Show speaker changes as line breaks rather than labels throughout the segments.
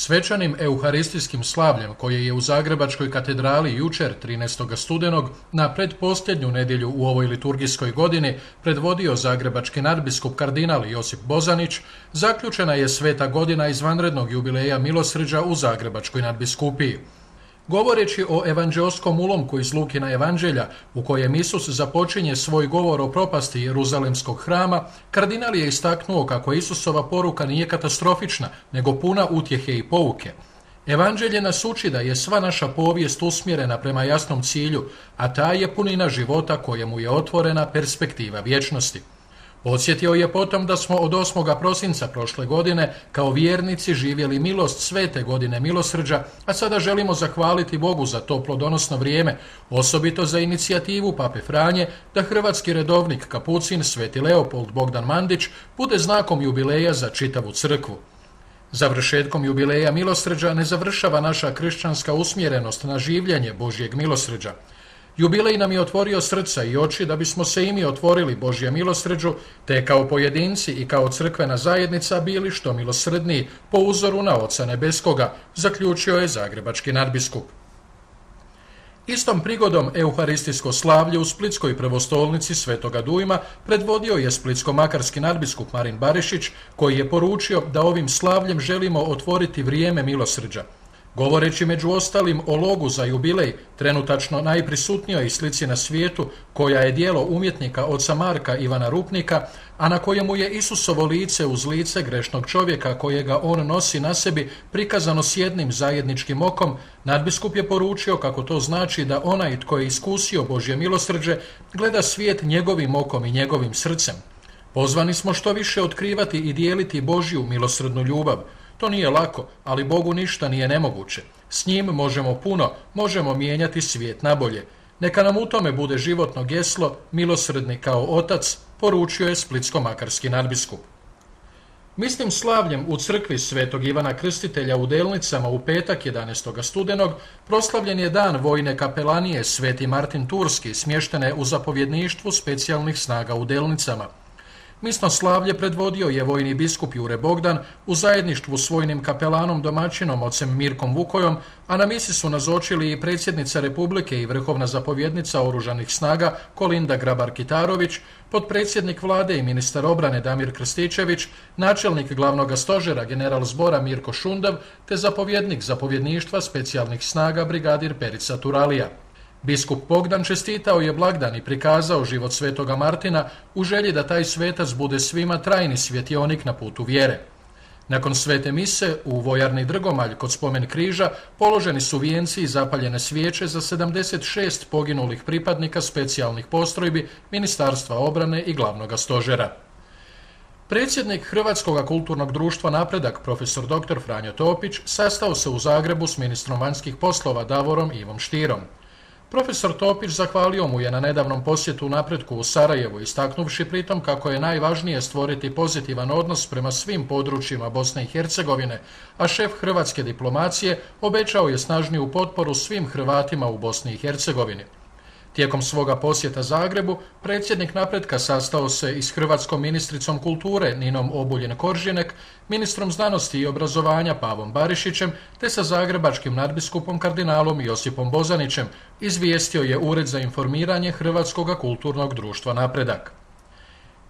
Svečanim euharistijskim slavljem koje je u Zagrebačkoj katedrali jučer 13. studenog na predposljednju nedjelju u ovoj liturgijskoj godini predvodio zagrebački nadbiskup kardinal Josip Bozanić, zaključena je sveta godina izvanrednog jubileja milosrđa u Zagrebačkoj nadbiskupiji. Govoreći o evanđeoskom ulomku iz Lukina evanđelja, u kojem Isus započinje svoj govor o propasti Jeruzalemskog hrama, kardinal je istaknuo kako Isusova poruka nije katastrofična, nego puna utjehe i pouke. Evanđelje nas uči da je sva naša povijest usmjerena prema jasnom cilju, a ta je punina života kojemu je otvorena perspektiva vječnosti. Podsjetio je potom da smo od 8. prosinca prošle godine kao vjernici živjeli milost svete godine milosrđa, a sada želimo zahvaliti Bogu za to plodonosno vrijeme, osobito za inicijativu Pape Franje da hrvatski redovnik kapucin Sveti Leopold Bogdan Mandić bude znakom jubileja za čitavu crkvu. Završetkom jubileja milosrđa ne završava naša kršćanska usmjerenost na življenje Božjeg milosrđa. Jubilej nam je otvorio srca i oči da bismo se i mi otvorili Božjem milosrđu, te kao pojedinci i kao crkvena zajednica bili što milosrdniji po uzoru na Oca Nebeskoga, zaključio je zagrebački nadbiskup. Istom prigodom euharistijsko slavlje u Splitskoj prvostolnici Svetoga Dujma predvodio je splitsko-makarski nadbiskup Marin Barišić, koji je poručio da ovim slavljem želimo otvoriti vrijeme milosrđa. Govoreći među ostalim o logu za jubilej, trenutačno najprisutnijoj slici na svijetu, koja je djelo umjetnika oca Marka Ivana Rupnika, a na kojemu je Isusovo lice uz lice grešnog čovjeka kojega on nosi na sebi prikazano s jednim zajedničkim okom, nadbiskup je poručio kako to znači da onaj tko je iskusio Božje milosrđe gleda svijet njegovim okom i njegovim srcem. Pozvani smo što više otkrivati i dijeliti Božju milosrdnu ljubav. To nije lako, ali Bogu ništa nije nemoguće. S njim možemo puno, možemo mijenjati svijet nabolje. Neka nam u tome bude životno geslo, milosrdni kao otac, poručio je splitsko-makarski nadbiskup. Mislim slavljem u crkvi Svetog Ivana Krstitelja u Delnicama u petak 11. studenog proslavljen je dan vojne kapelanije Sveti Martin Turski, smještene u zapovjedništvu specijalnih snaga u Delnicama. Misno slavlje predvodio je vojni biskup Jure Bogdan u zajedništvu s vojnim kapelanom domaćinom ocem Mirkom Vukojom, a na misi su nazočili i predsjednica Republike i vrhovna zapovjednica Oružanih snaga Kolinda Grabar-Kitarović, potpredsjednik vlade i ministar obrane Damir Krstičević, načelnik glavnog stožera general zbora Mirko Šundav, te zapovjednik zapovjedništva specijalnih snaga brigadir Perica Turalija. Biskup Bogdan čestitao je blagdan i prikazao život svetoga Martina u želji da taj svetac bude svima trajni svjetionik na putu vjere. Nakon svete mise u vojarni Drgomalj kod spomen križa položeni su vijenci i zapaljene svijeće za 76 poginulih pripadnika specijalnih postrojbi Ministarstva obrane i glavnog stožera. Predsjednik Hrvatskog kulturnog društva Napredak, profesor dr. Franjo Topić, sastao se u Zagrebu s ministrom vanjskih poslova Davorom Ivom Štirom. Profesor Topić zahvalio mu je na nedavnom posjetu Napretku u Sarajevu, istaknuvši pritom kako je najvažnije stvoriti pozitivan odnos prema svim područjima Bosne i Hercegovine, a šef hrvatske diplomacije obećao je snažniju potporu svim Hrvatima u Bosni i Hercegovini. Tijekom svoga posjeta Zagrebu, predsjednik Napretka sastao se i s hrvatskom ministricom kulture Ninom Obuljen-Koržinek, ministrom znanosti i obrazovanja Pavom Barišićem, te sa zagrebačkim nadbiskupom kardinalom Josipom Bozanićem, izvijestio je Ured za informiranje Hrvatskog kulturnog društva Napredak.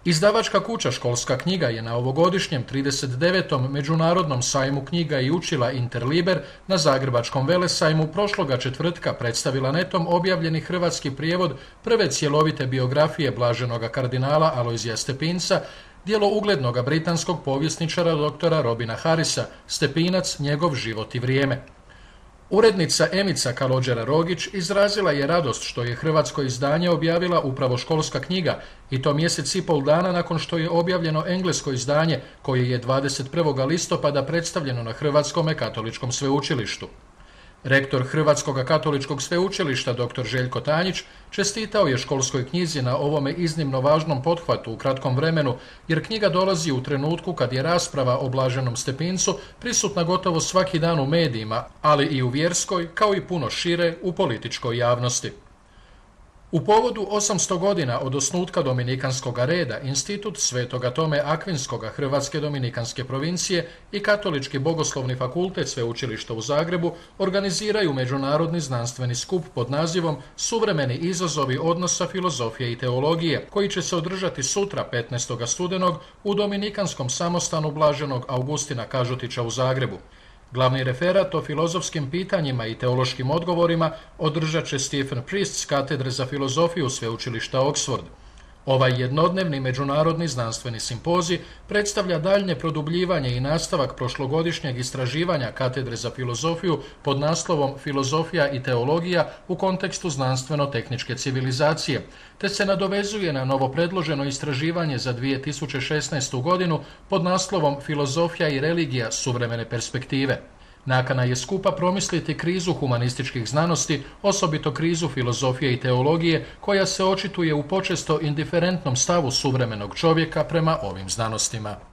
Izdavačka kuća Školska knjiga je na ovogodišnjem 39. Međunarodnom sajmu knjiga i učila Interliber na Zagrebačkom velesajmu prošloga četvrtka predstavila netom objavljeni hrvatski prijevod prve cjelovite biografije blaženoga kardinala Alojzija Stepinca, djelo uglednoga britanskog povjesničara doktora Robina Harrisa, Stepinac, njegov život i vrijeme. Urednica Emica Kalođera-Rogić izrazila je radost što je hrvatsko izdanje objavila upravo Školska knjiga, i to mjesec i pol dana nakon što je objavljeno englesko izdanje koje je 21. listopada predstavljeno na Hrvatskom katoličkom sveučilištu. Rektor Hrvatskog katoličkog sveučilišta dr. Željko Tanjić čestitao je Školskoj knjizi na ovome iznimno važnom pothvatu u kratkom vremenu, jer knjiga dolazi u trenutku kad je rasprava o blaženom Stepincu prisutna gotovo svaki dan u medijima, ali i u vjerskoj, kao i puno šire u političkoj javnosti. U povodu 800 godina od osnutka Dominikanskog reda, Institut Svetoga Tome Akvinskoga Hrvatske Dominikanske provincije i Katolički bogoslovni fakultet Sveučilišta u Zagrebu organiziraju međunarodni znanstveni skup pod nazivom Suvremeni izazovi odnosa filozofije i teologije, koji će se održati sutra 15. studenog u Dominikanskom samostanu Blaženog Augustina Kažutića u Zagrebu. Glavni referat o filozofskim pitanjima i teološkim odgovorima održat će Stephen Priest s katedre za filozofiju Sveučilišta Oxford. Ovaj jednodnevni međunarodni znanstveni simpozij predstavlja daljnje produbljivanje i nastavak prošlogodišnjeg istraživanja katedre za filozofiju pod naslovom Filozofija i teologija u kontekstu znanstveno-tehničke civilizacije, te se nadovezuje na novopredloženo istraživanje za 2016. godinu pod naslovom Filozofija i religija suvremene perspektive. Nakana je skupa promisliti krizu humanističkih znanosti, osobito krizu filozofije i teologije, koja se očituje u počesto indiferentnom stavu suvremenog čovjeka prema ovim znanostima.